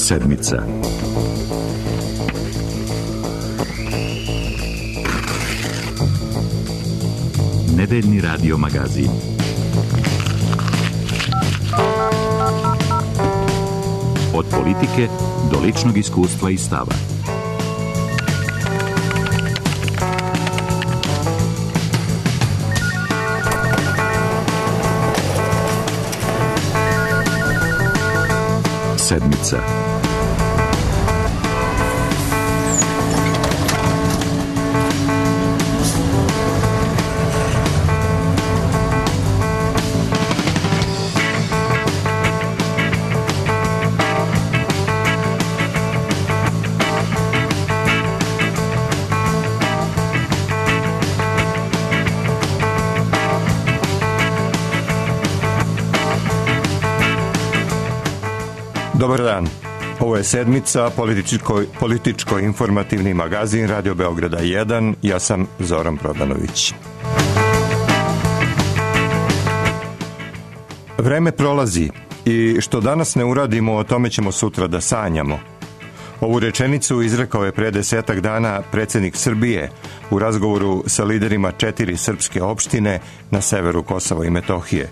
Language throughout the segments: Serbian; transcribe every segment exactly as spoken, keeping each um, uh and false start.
Sedmica. Nedeljni radio magazin. Od politike do ličnog iskustva i stava. Sedmica. Dobar dan. Ovo je Sedmica, političko, političko-informativni magazin Radio Beograda jedan. Ja sam Zoran Prodanović. Vreme prolazi i što danas ne uradimo, o tome ćemo sutra da sanjamo. Ovu rečenicu izrekao je pre desetak dana predsjednik Srbije u razgovoru sa liderima četiri srpske opštine na severu Kosova i Metohije.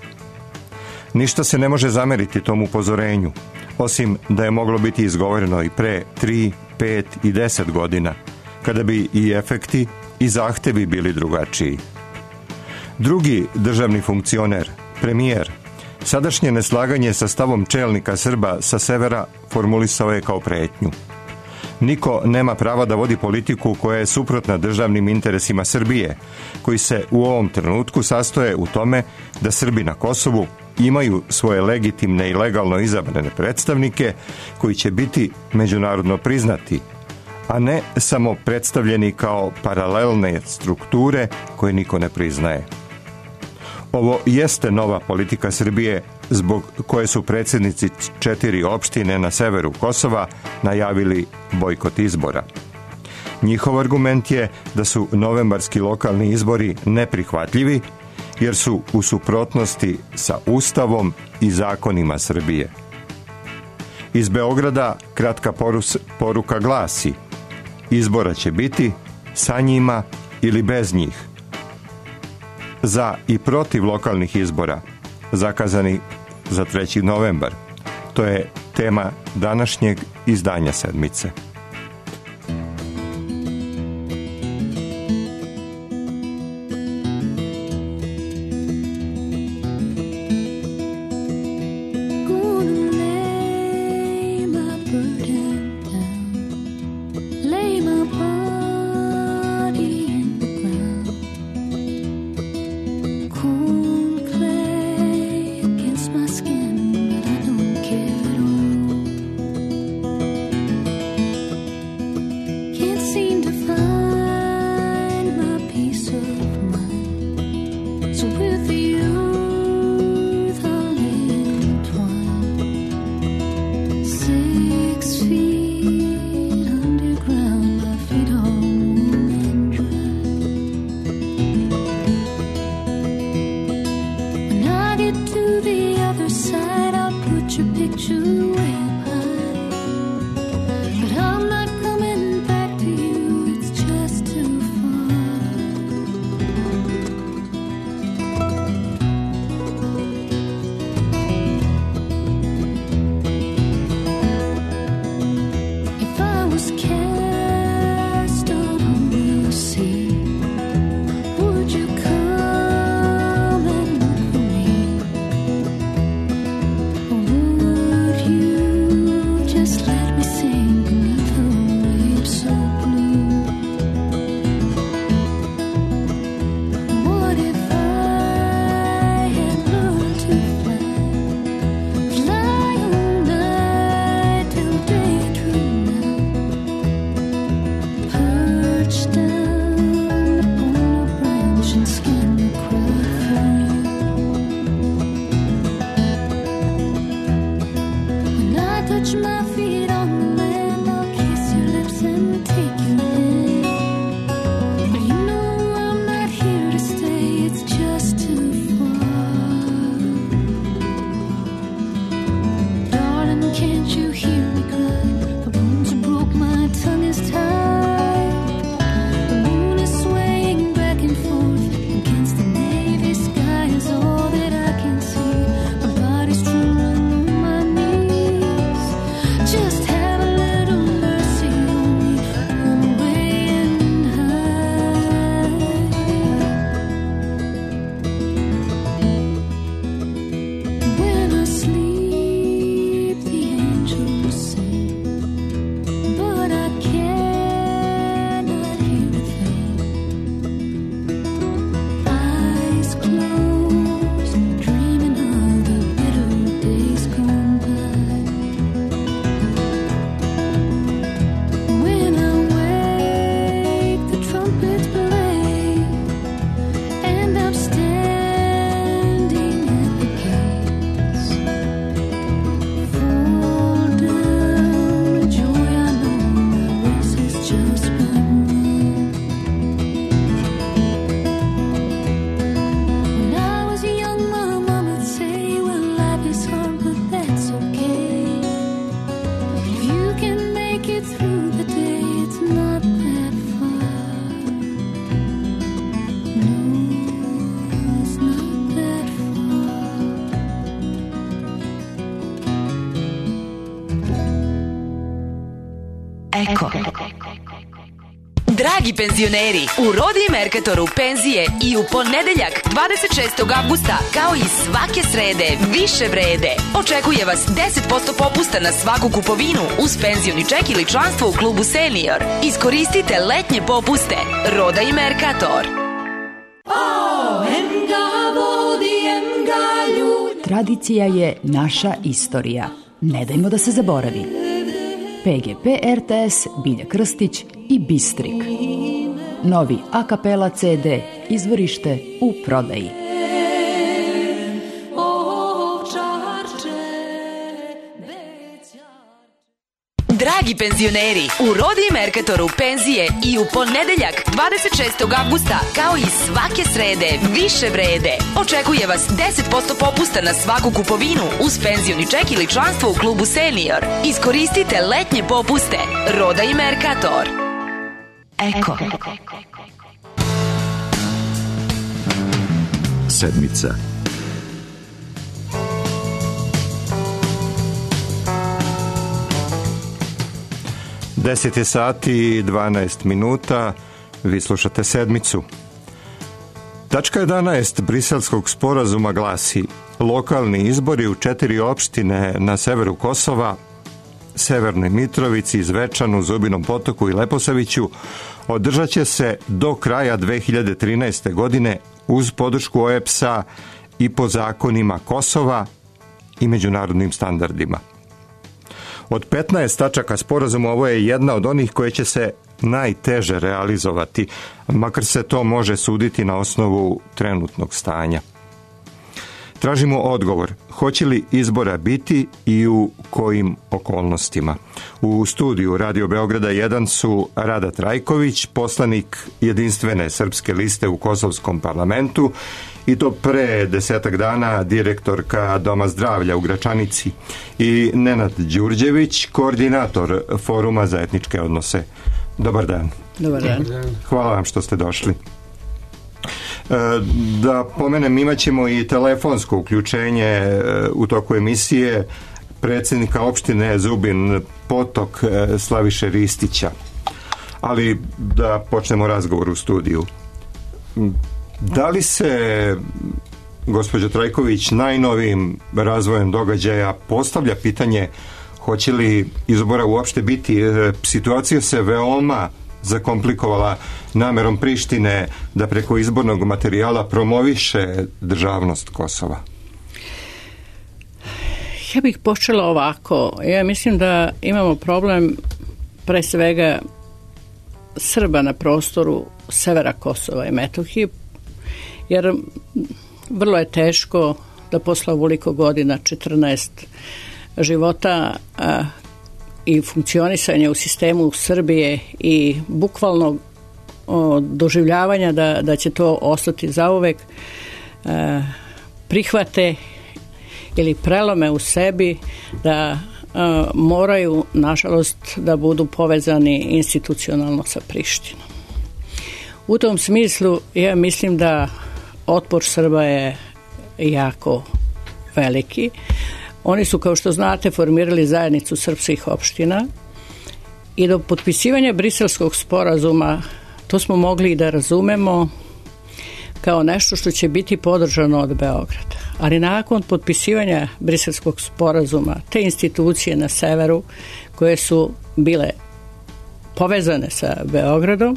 Ništa se ne može zameriti tom upozorenju, osim da je moglo biti izgovoreno i pre tri, pet i deset godina, kada bi i efekti i zahtevi bili drugačiji. Drugi državni funkcioner, premijer, sadašnje neslaganje sa stavom čelnika Srba sa severa formulisao je kao pretnju. Niko nema prava da vodi politiku koja je suprotna državnim interesima Srbije, koji se u ovom trenutku sastoje u tome da Srbi na Kosovu imaju svoje legitimne i legalno izabrane predstavnike koji će biti međunarodno priznati, a ne samo predstavljeni kao paralelne strukture koje niko ne priznaje. Ovo jeste nova politika Srbije zbog koje su predsjednici četiri opštine na severu Kosova najavili bojkot izbora. Njihov argument je da su novembarski lokalni izbori neprihvatljivi jer su u suprotnosti sa Ustavom i zakonima Srbije. Iz Beograda kratka porus, poruka glasi: izbora će biti sa njima ili bez njih. Za i protiv lokalnih izbora, zakazani za treći novembar. To je tema današnjeg izdanja Sedmice. Can't you hear me cry? Eko. Dragi penzioneri, u Rodi Mercatoru penzije i u ponedeljak dvadeset šestog avgusta kao i svake srede više vrede. Očekuje vas deset posto popusta na svaku kupovinu uz penzioni ček ili članstvo u klubu Senior. Iskoristite letnje popuste. Roda i Mercator. Tradicija je naša istorija. Ne dajmo da se zaboravi. P G P R T S, Bilja Krstić i Bistrik. Novi a kapela C D, izvorište u prodaji. Dragi penzioneri, u Rodi Mercatoru penzije i u ponedeljak dvadeset šestog avgusta kao i svake srede više vrede. Očekuje vas deset posto popusta na svaku kupovinu uz penzioni ček ili članstvo u klubu Senior. Iskoristite letnje popuste. Roda i Mercator. Eko. Sedmica. deset je sati i dvanaest minuta, vi slušate Sedmicu. Tačka jedanaest Briselskog sporazuma glasi: lokalni izbori u četiri opštine na severu Kosova, Severnoj Mitrovici, Zvečanu, Zubinom Potoku i Leposaviću održat će se do kraja dve hiljade trinaeste. godine uz podršku O E B S-a i po zakonima Kosova i međunarodnim standardima. Od petnaest tačaka sporazuma ovo je jedna od onih koje će se najteže realizovati, makar se to može suditi na osnovu trenutnog stanja. Tražimo odgovor, hoće li izbora biti i u kojim okolnostima. U studiju Radio Beograda jedan su Rada Trajković, poslanik Jedinstvene srpske liste u Kosovskom parlamentu, i to pre desetak dana direktorka Doma zdravlja u Gračanici, i Nenad Đurđević, koordinator Foruma za etničke odnose. Dobar dan. Dobar dan. Hvala vam što ste došli. Da pomenem, imat ćemo i telefonsko uključenje u toku emisije predsjednika opštine Zubin Potok Slaviše Ristića. Ali da počnemo razgovor u studiju. Da li se, gospođo Trajković, najnovijim razvojem događaja postavlja pitanje hoće li izbora uopšte biti? Situacija se veoma zakomplikovala namerom Prištine da preko izbornog materijala promoviše državnost Kosova. Ja bih počela ovako. Ja mislim da imamo problem pre svega Srba na prostoru severa Kosova i Metohije, jer vrlo je teško da posle ovoliko godina, četrnaest života a, i funkcionisanja u sistemu Srbije i bukvalno o, doživljavanja da, da će to ostati zauvek, a, prihvate ili prelome u sebi da a, moraju, nažalost, da budu povezani institucionalno sa Prištinom. U tom smislu ja mislim da otpor Srba je jako veliki. Oni su, kao što znate, formirali zajednicu srpskih opština i do potpisivanja Briselskog sporazuma to smo mogli da razumemo kao nešto što će biti podržano od Beograda. Ali nakon potpisivanja Briselskog sporazuma, te institucije na severu koje su bile povezane sa Beogradom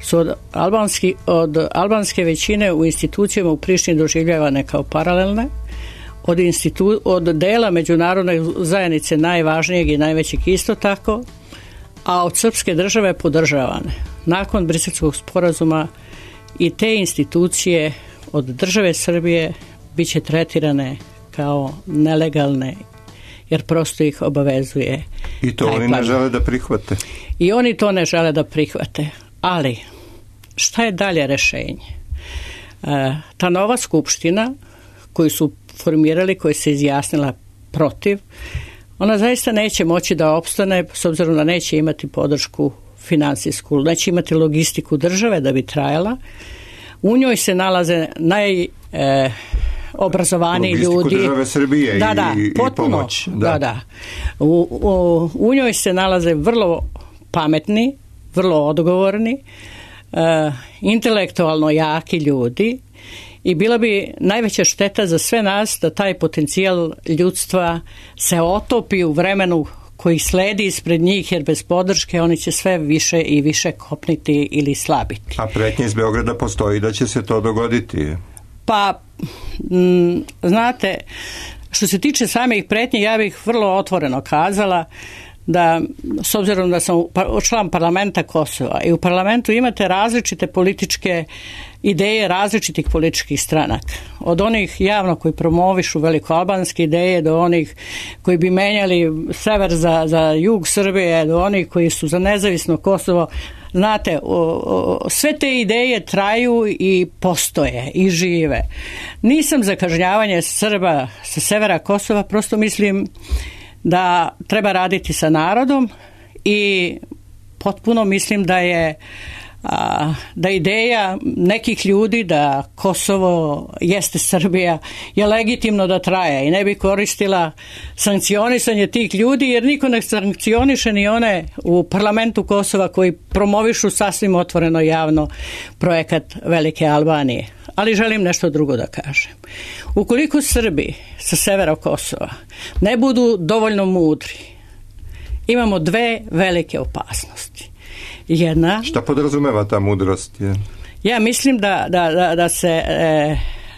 su od, albanski, od albanske većine u institucijama u Prištini doživljavane kao paralelne, od, institu, od dela međunarodne zajednice najvažnijeg i najvećeg isto tako, a od srpske države podržavane. Nakon Briselskog sporazuma i te institucije od države Srbije bit će tretirane kao nelegalne, jer prosto ih obavezuje. I to oni ne žele da prihvate. I oni to ne žele da prihvate. Ali, šta je dalje rešenje? E, ta nova skupština koju su formirali, koja se izjasnila protiv, ona zaista neće moći da opstane, s obzirom da neće imati podršku finansijsku, neće imati logistiku države da bi trajala. U njoj se nalaze naj... E, obrazovaniji ljudi. Logistiku države Srbije da, da, i, potpuno, i pomoć. Da, da. da. U, u, u njoj se nalaze vrlo pametni, vrlo odgovorni, uh, intelektualno jaki ljudi i bila bi najveća šteta za sve nas da taj potencijal ljudstva se otopi u vremenu koji sledi ispred njih, jer bez podrške oni će sve više i više kopniti ili slabiti. A pretnje iz Beograda postoji da će se to dogoditi? Pa, m, znate, što se tiče samih pretnje, ja bih vrlo otvoreno kazala da, s obzirom da sam član parlamenta Kosova i u parlamentu imate različite političke ideje različitih političkih stranaka. Od onih javno koji promovišu velikoalbanske ideje do onih koji bi menjali sever za, za jug Srbije, do onih koji su za nezavisno Kosovo. Znate, o, o, sve te ideje traju i postoje i žive. Nisam za kažnjavanje Srba sa severa Kosova, prosto mislim da treba raditi sa narodom i potpuno mislim da je a, da ideja nekih ljudi da Kosovo jeste Srbija je legitimno da traje i ne bi koristila sankcionisanje tih ljudi, jer niko ne sankcioniše ni one u parlamentu Kosova koji promovišu sasvim otvoreno javno projekat Velike Albanije. Ali želim nešto drugo da kažem. Ukoliko Srbi sa severa Kosova ne budu dovoljno mudri, imamo dve velike opasnosti. Jedna... Šta podrazumeva ta mudrost? Je? Ja mislim da, da, da, da se e,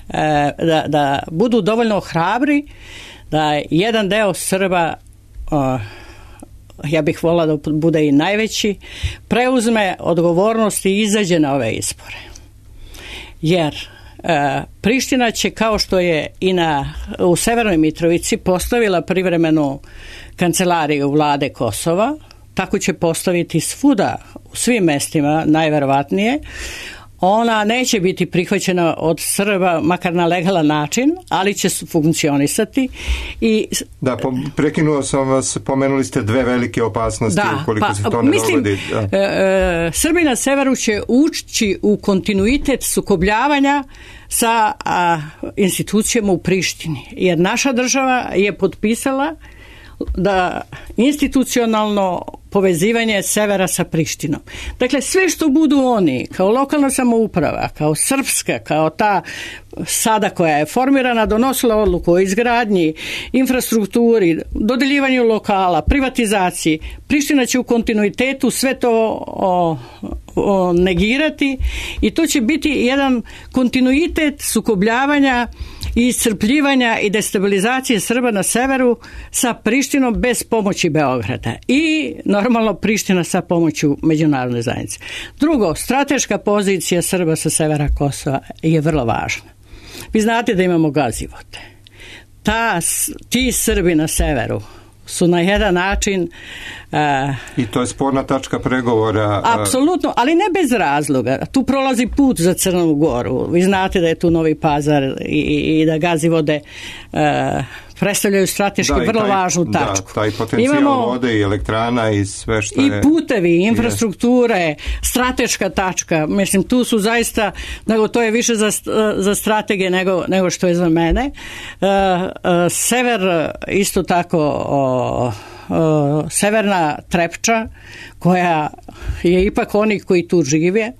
e, da, da budu dovoljno hrabri, da jedan deo Srba, o, ja bih volila da bude i najveći, preuzme odgovornost i izađe na ove izbore. Jer e, Priština će, kao što je i na, u Severnoj Mitrovici postavila privremenu kancelariju vlade Kosova, tako će postaviti svuda u svim mestima, najverovatnije. Ona neće biti prihvaćena od Srba, makar na legalan način, ali će funkcionisati. I, da, prekinuo sam vas, pomenuli ste dve velike opasnosti, da, ukoliko pa, se to ne mislim, dogodi. Da. E, Srbi na severu će ući u kontinuitet sukobljavanja sa a, institucijama u Prištini, jer naša država je potpisala da institucionalno povezivanje severa sa Prištinom. Dakle, sve što budu oni, kao lokalna samouprava, kao srpska, kao ta sada koja je formirana, donosila odluku o izgradnji, infrastrukturi, dodeljivanju lokala, privatizaciji, Priština će u kontinuitetu sve to o, o, negirati i to će biti jedan kontinuitet sukobljavanja i iscrpljivanja i destabilizacije Srba na severu sa Prištinom bez pomoći Beograda i normalno Priština sa pomoću međunarodne zajednice. Drugo, strateška pozicija Srba sa severa Kosova je vrlo važna. Vi znate da imamo Gazivote. Ta, ti Srbi na severu su na jedan način... Uh, I to je sporna tačka pregovora. Apsolutno, ali ne bez razloga. Tu prolazi put za Crnu Goru. Vi znate da je tu Novi Pazar i, i da Gazivode uh, predstavljaju strateški da, vrlo taj, važnu tačku. Da, taj potencijal imamo vode i elektrana i sve što i je... I putevi, infrastrukture, je. Strateška tačka. Mislim, tu su zaista, nego to je više za, za strategije nego, nego što je za mene. Uh, uh, sever isto tako... Uh, Uh, severna Trepča, koja je ipak oni koji tu žive,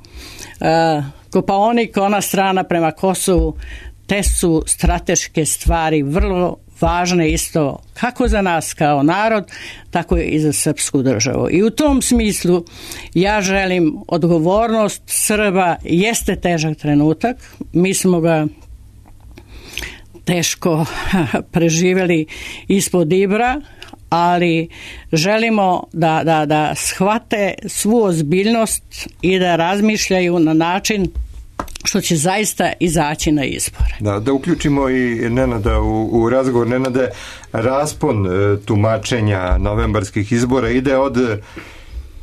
uh, Kopaonik, ona strana prema Kosovu, te su strateške stvari vrlo važne isto kako za nas kao narod, tako i za srpsku državu. I u tom smislu ja želim odgovornost Srba, jeste težak trenutak, mi smo ga teško preživjeli ispod Ibra, ali želimo da, da, da shvate svu ozbiljnost i da razmišljaju na način što će zaista izaći na izbore. Da, da uključimo i Nenada u, u razgovor. Nenade, raspon e, tumačenja novembarskih izbora ide od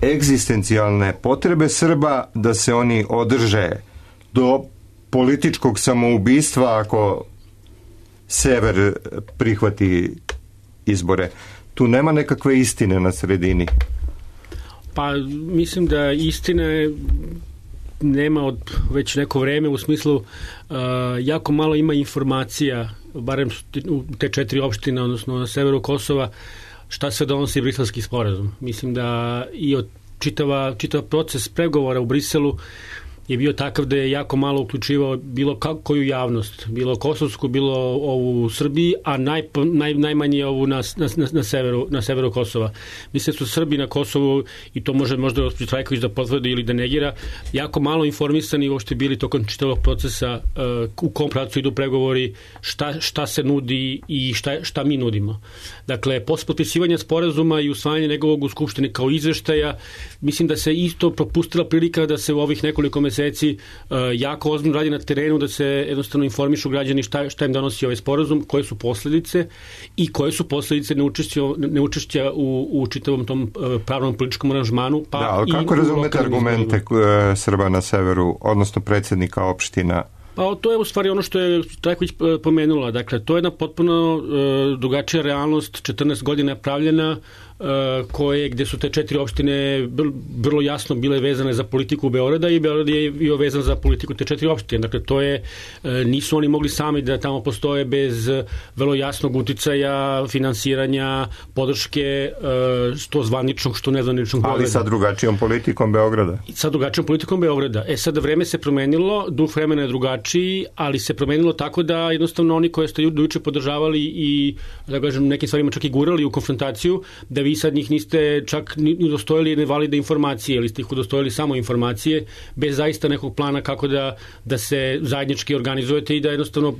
egzistencijalne potrebe Srba da se oni održe do političkog samoubistva ako sever prihvati izbore. Tu nema nekakve istine na sredini. Pa mislim da istine nema od već neko vreme, u smislu uh, jako malo ima informacija, barem u te četiri opštine, odnosno na severu Kosova, šta se donosi Briselski sporazum. Mislim da i od čitava, čitav proces pregovora u Briselu je bio takav da je jako malo uključivao bilo koju javnost, bilo kosovsku, bilo ovu u Srbiji, a naj, naj, najmanje ovu na, na, na, severu, na severu Kosova. Mislim da su Srbi na Kosovu, i to može možda gospođa Trajković da potvrdi ili da negira, jako malo informisani uopšte bili tokom čitavog procesa uh, u kom pravcu idu pregovori, šta, šta se nudi i šta, šta mi nudimo. Dakle, posle potpisivanja sporazuma i usvajanja njegovog u Skupštini kao izveštaja, mislim da se isto propustila prilika da se u ovih nekoliko meseci uh, jako ozbiljno radi na terenu, da se jednostavno informišu građani šta, šta im donosi ovaj sporazum, koje su posledice i koje su posledice neučešća, neučešća u, u čitavom tom uh, pravnom političkom aranžmanu. Pa da, ali kako razumete argumente izborima Srba na severu, odnosno predsjednika opština? Pa to je u stvari ono što je Trajković pomenula. Dakle, to je jedna potpuno uh, drugačija realnost, četrnaest godina je pravljena, uh, koje, gde su te četiri opštine vrlo jasno bile vezane za politiku Beograda i Beograd je bio vezan za politiku te četiri opštine. Dakle, to je, uh, nisu oni mogli sami da tamo postoje bez vrlo jasnog uticaja, finansiranja, podrške, uh, što zvaničnog, što nezvaničnog Beograda. Ali sa drugačijom politikom Beograda. Sa drugačijom politikom Beograda. E sad, vreme se promenilo, duh vremena je drugačiji, ali se promenilo tako da jednostavno oni koje ste juče podržavali i, da kažem, nekim stvarima čak i gurali u konfrontaciju, da vi sad njih niste čak ni udostojili nevalide informacije, ili ste ih udostojili samo informacije, bez zaista nekog plana kako da, da se zajednički organizujete i da jednostavno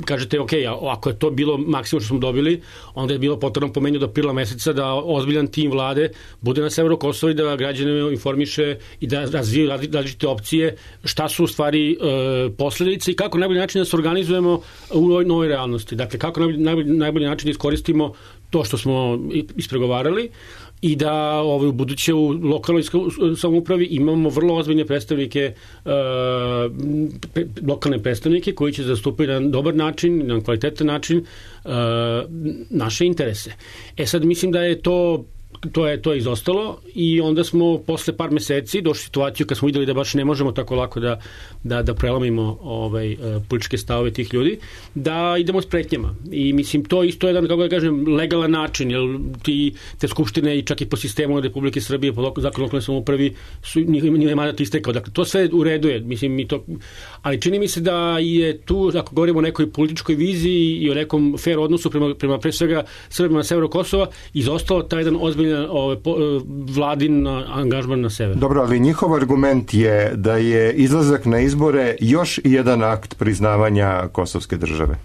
kažete, ok, ako je to bilo maksimum što smo dobili, onda je bilo potrebno po meni do aprila meseca da ozbiljan tim vlade bude na severu Kosova i da građane informiše i da razvije različite opcije, šta su u stvari e, posledice i kako najbolji način da se organizujemo u ovoj novoj realnosti. Dakle, kako najbolji, najbolji, najbolji način da iskoristimo to što smo ispregovarali i da ovaj, u buduće u lokalnoj samoupravi imamo vrlo ozbiljne predstavnike, uh, pre, lokalne predstavnike koji će zastupiti na dobar način, na kvalitetan način uh, naše interese. E sad mislim da je to to je to je izostalo i onda smo posle par meseci došli u situaciju kad smo videli da baš ne možemo tako lako da, da, da prelomimo ovaj, političke stavove tih ljudi, da idemo s pretnjama. I mislim, to isto je jedan, kako da kažem, legalan način, jer ti, te skupštine i čak i po sistemu Republike Srbije, po zakonu lokalne samoupravi, su njima mandat istekao. Dakle, to sve u redu je, mislim, mi to, ali čini mi se da je tu, ako govorimo o nekoj političkoj viziji i o nekom fair odnosu prema, prema pre svega Srbima na severu Kosova, izostao taj jedan ozbiljan Ove, po, vladin angažman na severu. Dobro, ali njihov argument je da je izlazak na izbore još jedan akt priznavanja kosovske države.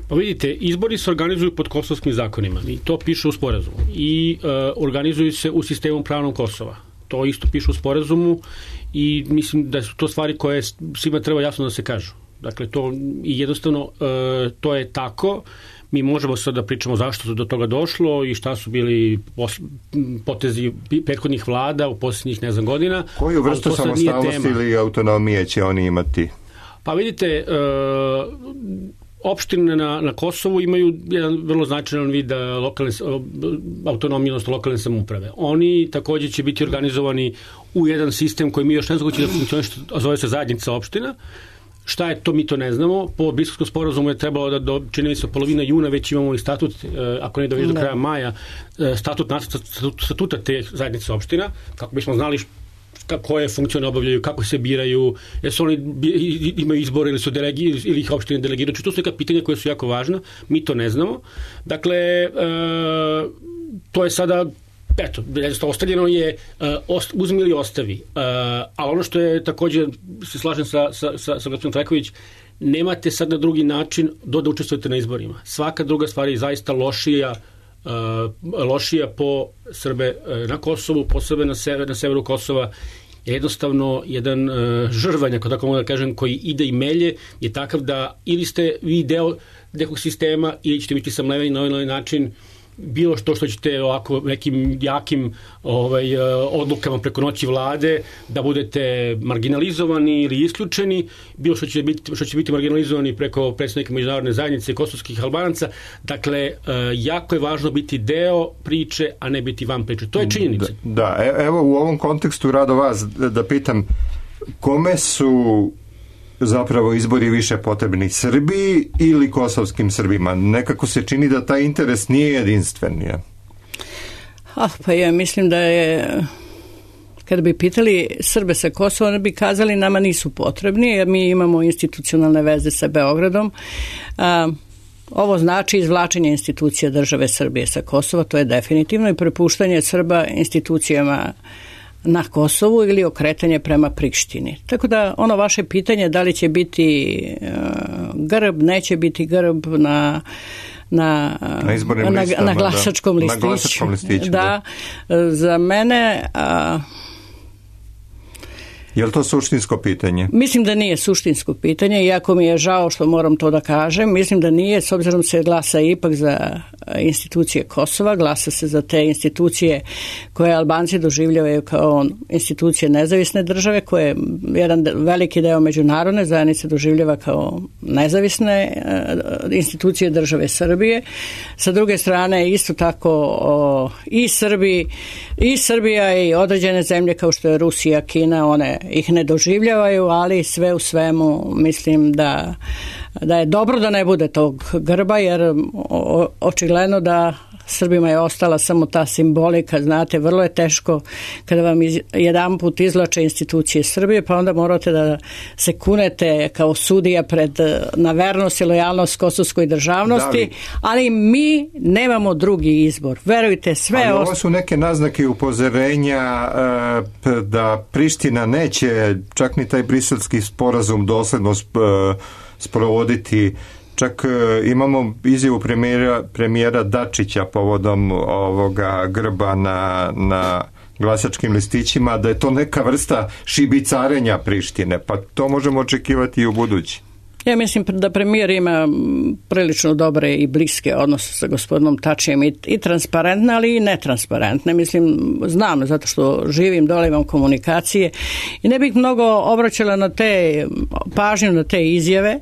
Pa vidite, izbori se organizuju pod kosovskim zakonima i to piše u sporazumu i e, organizuju se u sistemu pravnog Kosova. To isto piše u sporazumu i mislim da su to stvari koje svima treba jasno da se kažu. Dakle, to i jednostavno e, to je tako. Mi možemo sad da pričamo zašto su do toga došlo i šta su bili potezi prethodnih vlada u posljednjih, ne znam, godina. Koju vrstu samostalnosti ili autonomije će oni imati? Pa vidite, uh, opštine na, na Kosovu imaju jedan vrlo značajan vid lokalne, autonomije, odnosno lokalne samouprave. Oni također će biti organizovani u jedan sistem koji mi još ne znam da funkcioniše, a zove se zajednica opština. Šta je to, mi to ne znamo. Po Briselskom sporazumu je trebalo da do, čini mi se, polovina juna već imamo i statut, ako ne da već do kraja maja, statut, statut, statuta te zajednice opština, kako bismo znali koje funkcije obavljaju, kako se biraju, jesu oni imaju izbore ili su delegi, ili ih opštine delegiraju. To su neka pitanja koje su jako važna, mi to ne znamo. Dakle, e, to je sada eto, ostavljeno je uh, ost, uzmi ili ostavi. Uh, ali ono što je također, se slažem sa, sa, sa, sa gospodinom Trajković, nemate sad na drugi način do da učestvujete na izborima. Svaka druga stvar je zaista lošija, uh, lošija po Srbe uh, na Kosovu, po Srbe na, sever, na severu Kosova. Jednostavno, jedan uh, žrvanj, ako tako mogu da kažem, koji ide i melje, je takav da ili ste vi deo nekog sistema ili ćete biti samleveni na ovaj način bilo što što ćete ovako nekim jakim ovaj, odlukama preko noći vlade da budete marginalizovani ili isključeni, bilo što će biti, što će biti marginalizovani preko predstavnika međunarodne zajednice kosovskih Albanaca. Dakle, jako je važno biti deo priče, a ne biti van priče. To je činjenica. Da, da, evo u ovom kontekstu rado vas da pitam, kome su zapravo izbori više potrebni, Srbiji ili kosovskim Srbima? Nekako se čini da taj interes nije jedinstven. Je. Ah, pa ja mislim da je kada bi pitali Srbe sa Kosova, oni bi kazali nama nisu potrebni, jer mi imamo institucionalne veze sa Beogradom. A, ovo znači izvlačenje institucija države Srbije sa Kosova, to je definitivno, i prepuštanje Srba institucijama na Kosovu ili okretanje prema Prištini. Tako da ono vaše pitanje da li će biti uh, grb, neće biti grb na na, na, na, listama, na glasačkom da. listiću. Na glasačkom listiću, da. da. Za mene... Uh, Je li to suštinsko pitanje? Mislim da nije suštinsko pitanje, iako mi je žao što moram to da kažem. Mislim da nije, s obzirom se glasa ipak za institucije Kosova, glasa se za te institucije koje Albanci doživljavaju kao institucije nezavisne države, koje jedan veliki deo međunarodne zajednice doživljava kao nezavisne institucije države Srbije. Sa druge strane, isto tako o, i Srbi, i Srbija i određene zemlje kao što je Rusija, Kina, one ih ne doživljavaju, ali sve u svemu mislim da, da je dobro da ne bude tog grba, jer o, očigledno da Srbima je ostala samo ta simbolika, znate, vrlo je teško kada vam iz, jedan put izvlače institucije Srbije, pa onda morate da se kunete kao sudija pred, na vernost i lojalnost kosovskoj državnosti, li, ali mi nemamo drugi izbor. Verujte, sve... Ali ovo su neke naznake upozorenja e, da Priština neće čak ni taj briselski sporazum dosledno sp, e, sprovoditi. Čak imamo izjavu premijera, premijera Dačića povodom ovoga grba na, na glasačkim listićima, da je to neka vrsta šibicarenja Prištine, pa to možemo očekivati i u budući. Ja mislim da premijer ima prilično dobre i bliske odnose sa gospodinom Tačijem i, i transparentne, ali i netransparentne. Mislim, znam, zato što živim dole, imam komunikacije i ne bih mnogo obraćala na te pažnju, na te izjave.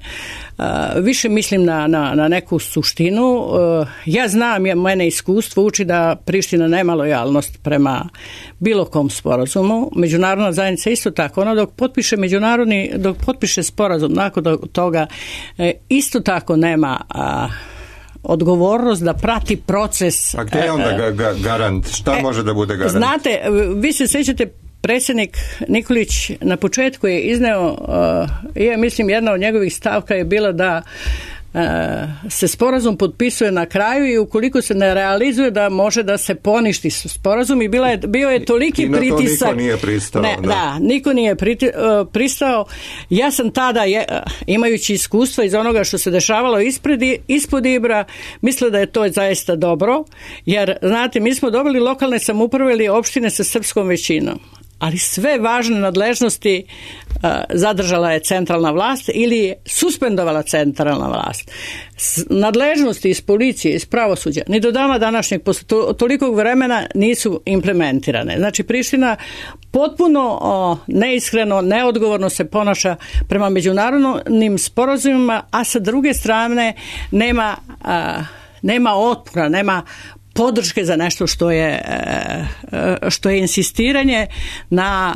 Uh, više mislim na, na, na neku suštinu. Uh, ja znam, ja, mene iskustvo uči da Priština nema lojalnost prema bilo kom sporazumu. Međunarodna zajednica isto tako. Ona dok potpiše međunarodni, dok potpiše sporazum, nakon toga uh, isto tako nema uh, odgovornost da prati proces. A gdje je onda ga, ga, garant? Šta e, može da bude garant? Znate, vi se sjećate, predsjednik Nikolić na početku je izneo, uh, ja mislim jedna od njegovih stavka je bila da uh, se sporazum potpisuje na kraju i ukoliko se ne realizuje da može da se poništi sporazum i bila je, bio je toliki I na pritisak. To niko nije pristao. Ne, da. da, niko nije priti, uh, pristao. Ja sam tada, je, imajući iskustva iz onoga što se dešavalo ispred, ispod Ibra, mislila da je to zaista dobro, jer znate, mi smo dobili lokalne samouprave ili opštine sa srpskom većinom, ali sve važne nadležnosti uh, zadržala je centralna vlast ili suspendovala centralna vlast. S, nadležnosti iz policije, iz pravosuđa, ni do dana današnjeg, posle to, tolikog vremena nisu implementirane. Znači, Priština potpuno o, neiskreno, neodgovorno se ponaša prema međunarodnim sporazumima, a sa druge strane nema, a, nema otpora, nema podrške za nešto što je, što je insistiranje na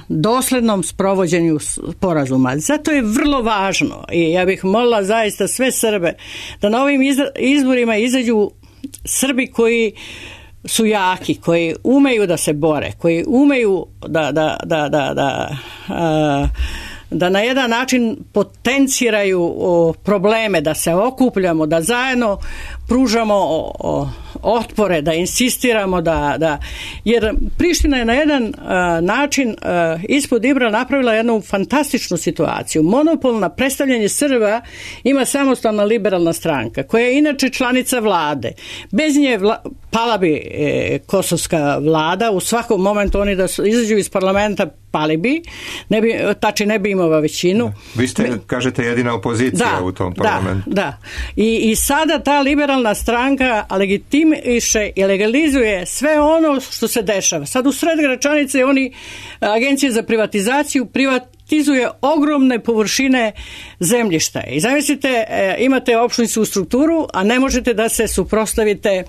doslednom sprovođenju sporazuma. Zato je vrlo važno i ja bih molila zaista sve Srbe da na ovim izborima izađu Srbi koji su jaki, koji umeju da se bore, koji umeju da da, da, da, da a, da na jedan način potenciraju o, probleme, da se okupljamo, da zajedno pružamo o, o, otpore, da insistiramo da, da jer Priština je na jedan a, način a, ispod Ibra napravila jednu fantastičnu situaciju. Monopol na predstavljanje Srba ima samostalna liberalna stranka koja je inače članica vlade. Bez nje vla, pala bi e, kosovska vlada, u svakom momentu oni da su, izađu iz parlamenta pali bi, ne bi, Tači ne bi imao većinu. Vi ste, Mi, kažete, jedina opozicija da, u tom parlamentu. Da, da. I, I sada ta liberalna stranka legitimiše i legalizuje sve ono što se dešava. Sad u sred Gračanice oni, agencije za privatizaciju, privatizuje ogromne površine zemljišta. I zamislite, imate opštinsku strukturu, a ne možete da se suprotstavite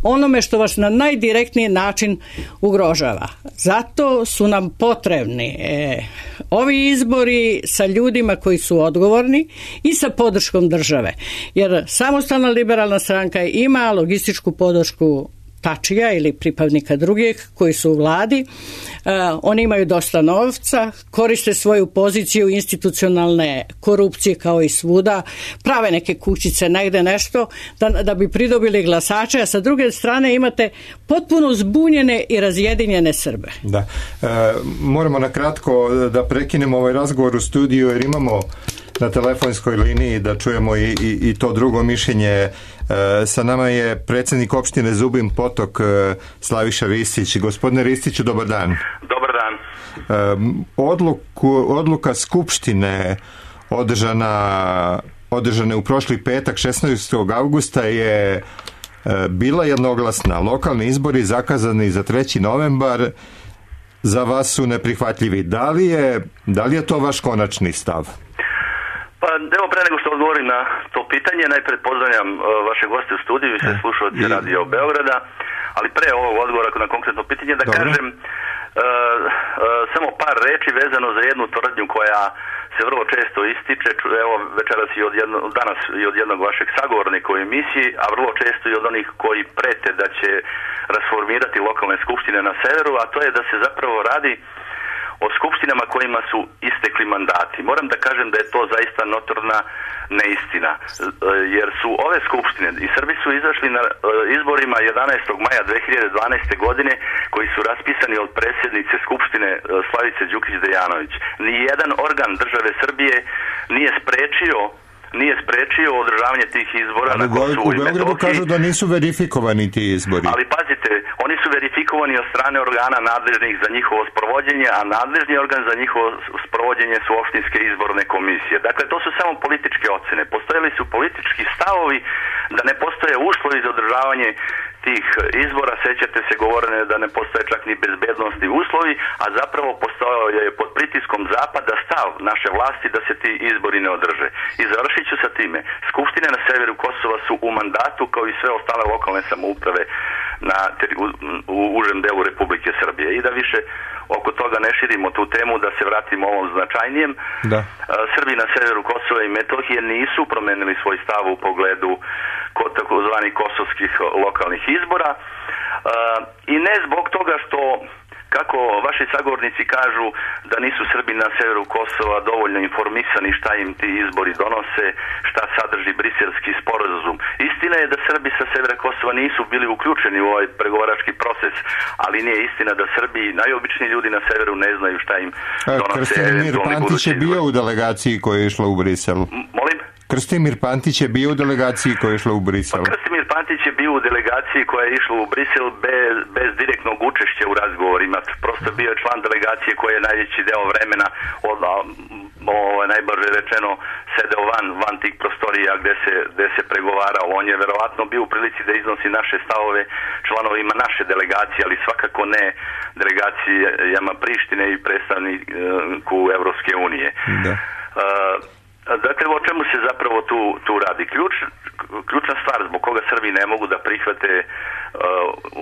onome što vas na najdirektniji način ugrožava. Zato su nam potrebni e, ovi izbori sa ljudima koji su odgovorni i sa podrškom države. Jer samostalna liberalna stranka ima logističku podršku Tačija ili pripadnika drugih koji su u vladi. Oni imaju dosta novca, koriste svoju poziciju institucionalne korupcije kao i svuda, prave neke kućice, negde nešto da, da bi pridobili glasače, a sa druge strane imate potpuno zbunjene i razjedinjene Srbe. Da. E, moramo na kratko da prekinemo ovaj razgovor u studiju jer imamo na telefonskoj liniji da čujemo i, i, i to drugo mišljenje. E, sa nama je predsjednik opštine Zubin Potok, e, Slaviša Ristić. Gospodine Ristiću, dobar dan. Dobar dan. E, odluku, odluka Skupštine održana, održane u prošli petak šesnaestog avgusta je e, bila jednoglasna. Lokalni izbori zakazani za treći novembar za vas su neprihvatljivi. Da li je, da li je to vaš konačni stav? Pa evo, pre nego što odgovorim na to pitanje, najpred pozdravljam uh, vaše goste u studiju i sve slušalci Radio Beograda, ali pre ovog odgovora na konkretno pitanje da Dobro. kažem uh, uh, samo par reči vezano za jednu tvrdnju koja se vrlo često ističe, evo večeras i od jedno, danas i od jednog vašeg sagovornika u emisiji, a vrlo često i od onih koji prete da će rasformirati lokalne skupštine na severu, a to je da se zapravo radi o skupštinama kojima su istekli mandati. Moram da kažem da je to zaista notorna neistina, jer su ove skupštine i Srbi su izašli na izborima jedanaestog maja dve hiljade dvanaeste. godine koji su raspisani od predsjednice skupštine Slavice Đukić-Dejanović. Nijedan organ države Srbije nije sprečio nije sprečio održavanje tih izbora ali na Kosovu i Metohiji. U Beogradu kažu da nisu verifikovani ti izbori. Ali pazite, oni su verifikovani od strane organa nadležnih za njihovo sprovođenje, a nadležni organ za njihovo sprovođenje su opštinske izborne komisije. Dakle, to su samo političke ocene. Postojali su politički stavovi da ne postoje uslovi za održavanje tih izbora, sećate se govorene da ne postoje čak ni bezbednosni uslovi, a zapravo postojao je pod pritiskom zapada stav naše vlasti da se ti izbori ne održe. I završit ću sa time. Skupštine na severu Kosova su u mandatu kao i sve ostale lokalne samouprave na, u, u užem delu Republike Srbije. I da više oko toga ne širimo tu temu, da se vratimo ovom značajnijem. Da. Srbi na severu Kosova i Metohije nisu promenili svoj stav u pogledu takozvanih kosovskih lokalnih izbora i ne zbog toga što, kako vaši sagovornici kažu, da nisu Srbi na severu Kosova dovoljno informisani šta im ti izbori donose, šta sadrži briselski sporazum. Istina je da Srbi sa severa Kosova nisu bili uključeni u ovaj pregovarački proces, ali nije istina da Srbi, najobičniji ljudi na severu, ne znaju šta im donose eventualni budući izbori. Krstimir Pantić je bio u delegaciji koja je išla u Brisel. Molim? Krstimir Pantić je bio u delegaciji koja je išla u Brisel. Pa Krstimir Pantić je bio u delegaciji koja je išla u Brisel bez, bez direktnog učešća u razgovorima. Prosto bio je član delegacije koji je najveći deo vremena, od, o, najbrže rečeno, sedeo van, van tih prostorija gde se, gde se pregovarao. On je verovatno bio u prilici da iznosi naše stavove članovima naše delegacije, ali svakako ne delegacijama Prištine i predstavniku Evropske unije. Da. Uh, Dakle, o čemu se zapravo tu, tu radi? Ključ, ključna stvar zbog koga Srbi ne mogu da prihvate uh,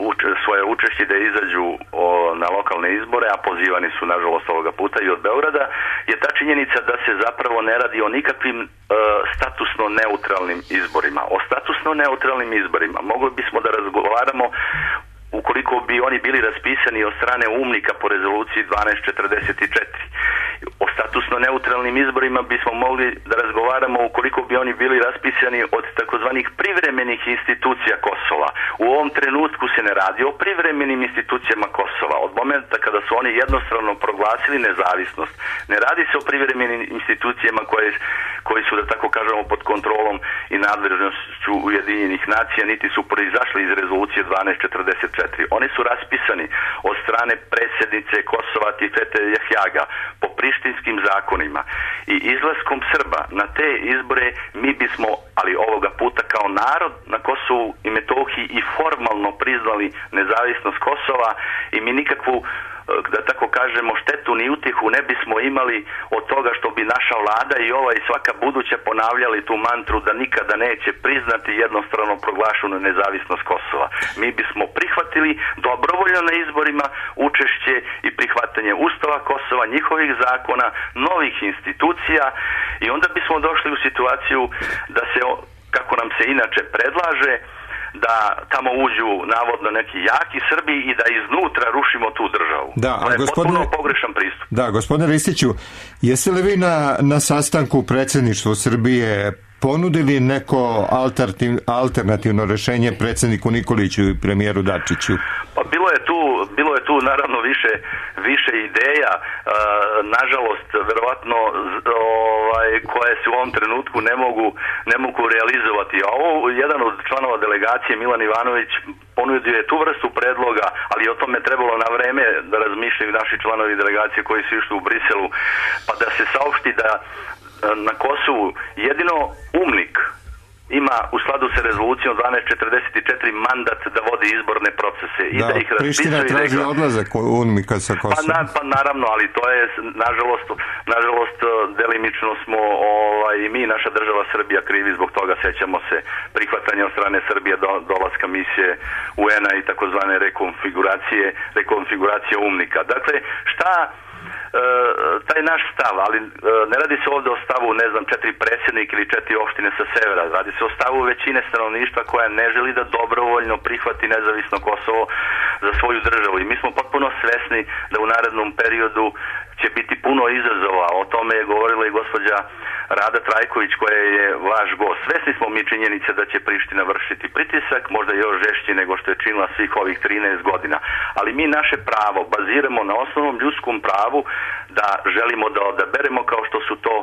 uč, svoje učešće da izađu o, na lokalne izbore, a pozivani su, nažalost, ovoga puta i od Beograda, je ta činjenica da se zapravo ne radi o nikakvim uh, statusno neutralnim izborima. O statusno neutralnim izborima mogli bismo da razgovaramo ukoliko bi oni bili raspisani od strane umnika po rezoluciji dvanaest četrdeset četiri. O statusno neutralnim izborima bismo mogli da razgovaramo ukoliko bi oni bili raspisani od takozvanih privremenih institucija Kosova. U ovom trenutku se ne radi o privremenim institucijama Kosova. Od momenta kada su oni jednostrano proglasili nezavisnost, ne radi se o privremenim institucijama koje, koji su, da tako kažemo, pod kontrolom i nadležnošću Ujedinjenih nacija, niti su proizašli iz rezolucije dvanaest četrdeset četiri. Oni su raspisani od strane predsjednice Kosova Tifete Jahjaga po prištinskim zakonima i izlaskom Srba na te izbore mi bismo, ali ovoga puta kao narod na Kosovu i Metohiji, i formalno priznali nezavisnost Kosova i mi nikakvu, da tako kažemo, štetu ni utjehu ne bismo imali od toga što bi naša vlada i ova i svaka buduća ponavljali tu mantru da nikada neće priznati jednostrano proglašenu nezavisnost Kosova. Mi bismo prihvatili dobrovoljno na izborima učešće i prihvatanje Ustava Kosova, njihovih zakona, novih institucija, i onda bismo došli u situaciju da se, kako nam se inače predlaže, da tamo uđu navodno neki jaki Srbi i da iznutra rušimo tu državu. Da, to je gospodine, potpuno pogrešan pristup. Da, gospodine Ristiću, jeste li vi na, na sastanku predsjedništva Srbije ponudili neko alternativ, alternativno rešenje predsjedniku Nikoliću i premijeru Dačiću? Pa bilo je tu, bilo je tu naravno više, više ideja, e, nažalost, verovatno ovaj, koje se u ovom trenutku ne mogu, ne mogu realizovati. A ovo, jedan od članova delegacije, Milan Ivanović, ponudio je tu vrstu predloga, ali o tome trebalo na vreme da razmišljaju naši članovi delegacije koji su išli u Briselu, pa da se saopšti da na Kosovu jedino UMNIK ima u skladu sa rezolucijom dvanaest četrdeset četiri mandat da vodi izborne procese i da, da ih raspisuje. Priština traži da... odlazak UNMIK-a sa Kosova. Pa, na, pa naravno, ali to je nažalost, nažalost delimično smo ovaj, i mi, naša država Srbija, krivi zbog toga. Sećamo se prihvatanja od strane Srbije do, dolaska misije U N-a i takozvane rekonfiguracije, rekonfiguracije UMNIK-a. Dakle, šta E, taj naš stav, ali e, ne radi se ovdje o stavu, ne znam, četiri predsjednika ili četiri opštine sa severa, radi se o stavu većine stanovništva koja ne želi da dobrovoljno prihvati nezavisno Kosovo za svoju državu i mi smo potpuno svesni da u narednom periodu će biti puno izazova. O tome je govorila i gospođa Rada Trajković koja je vaš gost. Svesni smo mi činjenice da će Priština vršiti pritisak, možda još žešći nego što je činila svih ovih trinaest godina. Ali mi naše pravo baziramo na osnovnom ljudskom pravu da želimo da odaberemo kao što su to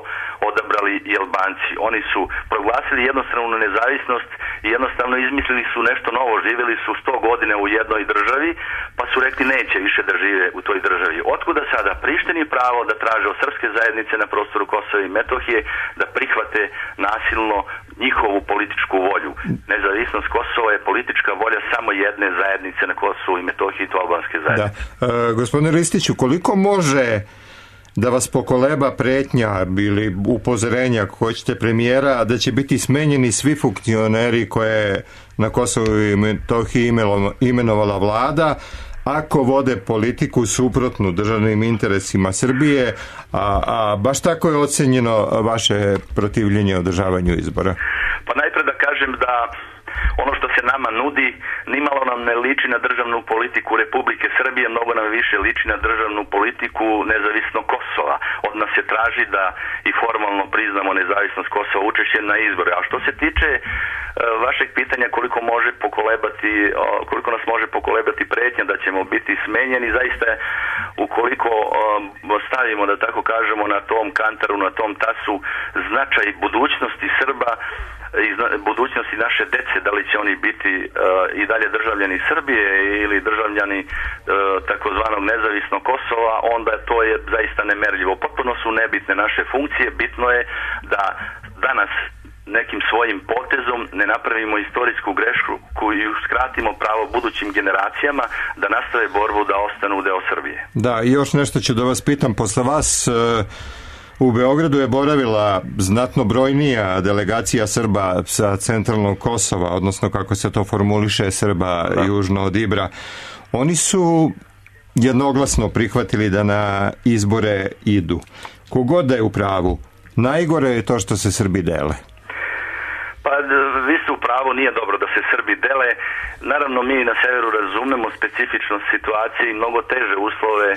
odabrali i Albanci. Oni su proglasili jednostranu nezavisnost i jednostavno izmislili su nešto novo. Živjeli su sto godina u jednoj državi pa su rekli neće više da žive u toj državi. Otkuda sada Prištini pravo da traže od srpske zajednice na prostoru Kosova i Metohije da prihvate nasilno njihovu političku volju. Nezavisnost Kosova je politička volja samo jedne zajednice na Kosovu i Metohiji, to albanske zajednice. Da. E, gospodine Ristiću, koliko može da vas pokoleba pretnja ili upozorenja, ako hoćete, premijera, da će biti smenjeni svi funkcioneri koje na Kosovu i Metohiji imenovala vlada, ako vode politiku suprotnu državnim interesima Srbije, a, a baš tako je ocenjeno vaše protivljenje održavanju izbora? Pa najpre da kažem da ono što se nama nudi nimalo nam ne liči na državnu politiku Republike Srbije, mnogo nam više liči na državnu politiku nezavisnog Kosova. Od nas se traži da i formalno priznamo nezavisnost Kosova učešće na izbore. A što se tiče e, vašeg pitanja koliko može pokolebati, koliko nas može pokolebati pretnja da ćemo biti smenjeni, zaista ukoliko e, stavimo, da tako kažemo, na tom kantaru, na tom tasu značaj budućnosti Srba i budućnosti naše dece, da li će oni biti uh, i dalje državljani Srbije ili državljani uh, takozvanog nezavisnog Kosova, onda to je zaista nemerljivo. Potpuno su nebitne naše funkcije, bitno je da danas nekim svojim potezom ne napravimo istorijsku grešku koju skratimo pravo budućim generacijama da nastave borbu da ostanu deo Srbije. Da, i još nešto ću da vas pitam, posle vas uh... u Beogradu je boravila znatno brojnija delegacija Srba sa centralnog Kosova, odnosno kako se to formuliše, Srba da. Južno od Ibra. Oni su jednoglasno prihvatili da na izbore idu. Kogod da je u pravu, najgore je to što se Srbi dele. Pa vi ste u pravu, nije dobro da se Srbi dele. Naravno mi na severu razumemo specifičnost situacije i mnogo teže uslove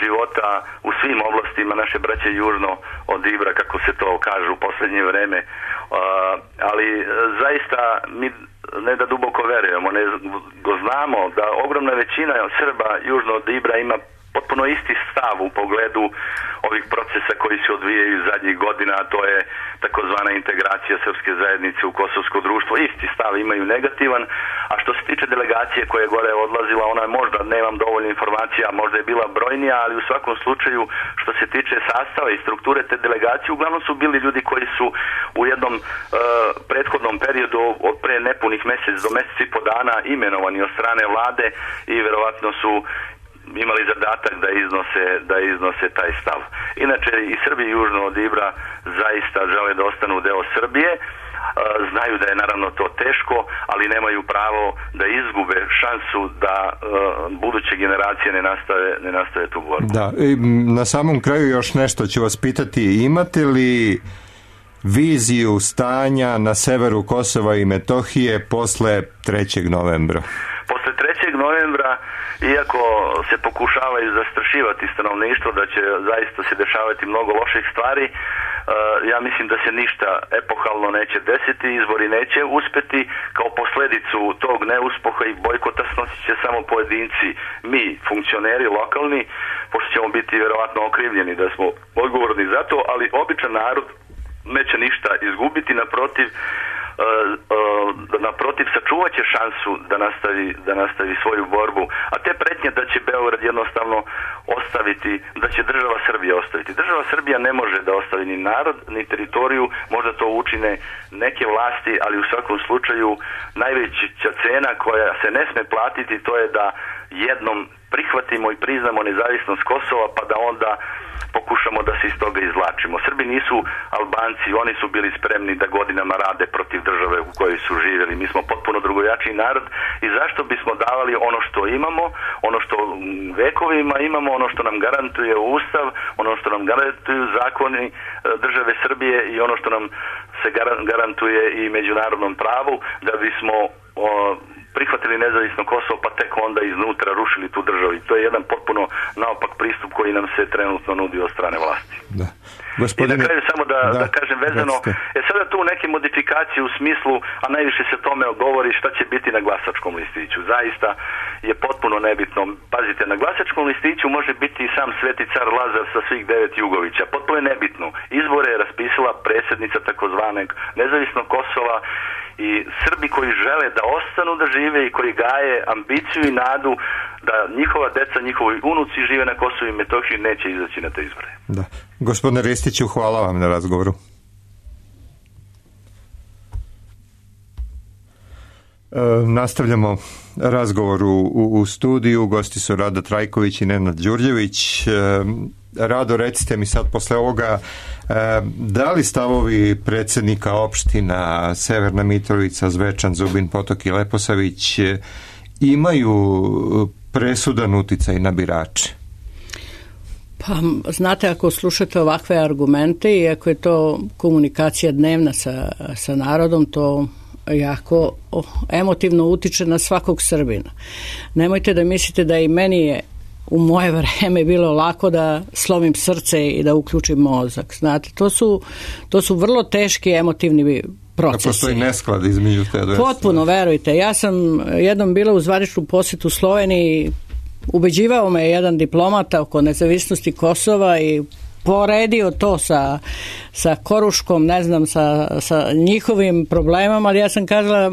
života u svim oblastima naše braće južno od Ibra, kako se to kaže u posljednje vreme. Uh, ali zaista mi ne da duboko verujemo, nego znamo da ogromna većina Srba južno od Ibra ima potpuno isti stav u pogledu ovih procesa koji se odvijaju zadnjih godina, a to je takozvana integracija srpske zajednice u kosovsko društvo. Isti stav imaju negativan, a što se tiče delegacije koja je gore odlazila, ona je možda, nemam dovoljno informacija, možda je bila brojnija, ali u svakom slučaju što se tiče sastava i strukture te delegacije, uglavnom su bili ljudi koji su u jednom uh, prethodnom periodu od pre nepunih mjesec do mjesec i po dana imenovani od strane vlade i verovatno su imali zadatak da iznose, da iznose taj stav. Inače i Srbi južno od Ibra zaista žele da ostanu deo Srbije, znaju da je naravno to teško, ali nemaju pravo da izgube šansu da uh, buduće generacije ne nastave, ne nastave tu borbu. Da, i na samom kraju još nešto ću vas pitati, imate li viziju stanja na severu Kosova i Metohije posle trećeg novembra? Posle trećeg novembra, iako se pokušavaju zastrašivati stanovništvo da će zaista se dešavati mnogo loših stvari, ja mislim da se ništa epohalno neće desiti, izbori neće uspeti. Kao posledicu tog neuspeha i bojkota snosit će samo pojedinci, mi, funkcioneri lokalni, pošto ćemo biti verovatno okrivljeni da smo odgovorni za to, ali običan narod neće ništa izgubiti, naprotiv, Uh, uh, naprotiv sačuvat će šansu da nastavi, da nastavi svoju borbu, a te pretnje da će Beograd jednostavno ostaviti, da će država Srbija ostaviti. Država Srbija ne može da ostavi ni narod, ni teritoriju, možda to učine neke vlasti, ali u svakom slučaju najveća cena koja se ne sme platiti, to je da jednom prihvatimo i priznamo nezavisnost Kosova, pa da onda pokušamo da se iz toga izvlačimo. Srbi nisu Albanci, oni su bili spremni da godinama rade protiv države u kojoj su živjeli. Mi smo potpuno drugojačiji narod i zašto bismo davali ono što imamo, ono što vekovima imamo, ono što nam garantuje Ustav, ono što nam garantuju zakoni države Srbije i ono što nam se garantuje i međunarodnom pravu, da bismo o, prihvatili nezavisno Kosovo, pa tek onda iznutra rušili tu državu. I to je jedan potpuno naopak pristup koji nam se trenutno nudi od strane vlasti. Da. Gospodine... I na kraju samo da, da, da kažem vezano, je sada tu neke modifikacije u smislu, a najviše se tome govori šta će biti na glasačkom listiću. Zaista je potpuno nebitno. Pazite, na glasačkom listiću može biti i sam Sveti car Lazar sa svih devet Jugovića. Potpuno je nebitno. Izbore je raspisala predsjednica takozvanog nezavisnog Kosova i Srbi koji žele da ostanu da žive i koji gaje ambiciju i nadu da njihova deca, njihovi unuci žive na Kosovu i Metohiji, neće izaći na te izbore. Da. Gospodine Ristiću, hvala vam na razgovoru. E, nastavljamo razgovor u, u, u studiju. Gosti su Rado Trajković i Nenad Đurđević. E, Rado, recite mi sad posle ovoga, e, da li stavovi predsjednika opština Severna Mitrovica, Zvečan, Zubin Potok i Leposavić e, imaju presudan uticaj na birače? Pa, znate, ako slušate ovakve argumente i ako je to komunikacija dnevna sa, sa narodom, to jako emotivno utiče na svakog Srbina. Nemojte da mislite da i meni je u moje vreme bilo lako da slomim srce i da uključim mozak. Znate, to su, to su vrlo teški emotivni procesi. Da postoji nesklad između te dve. Potpuno, verujte. Ja sam jednom bila u zvaničnu posjetu u Sloveniji, ubeđivao me jedan diplomata oko nezavisnosti Kosova i poredio to sa, sa Koruškom, ne znam, sa, sa njihovim problemama, ali ja sam kazala,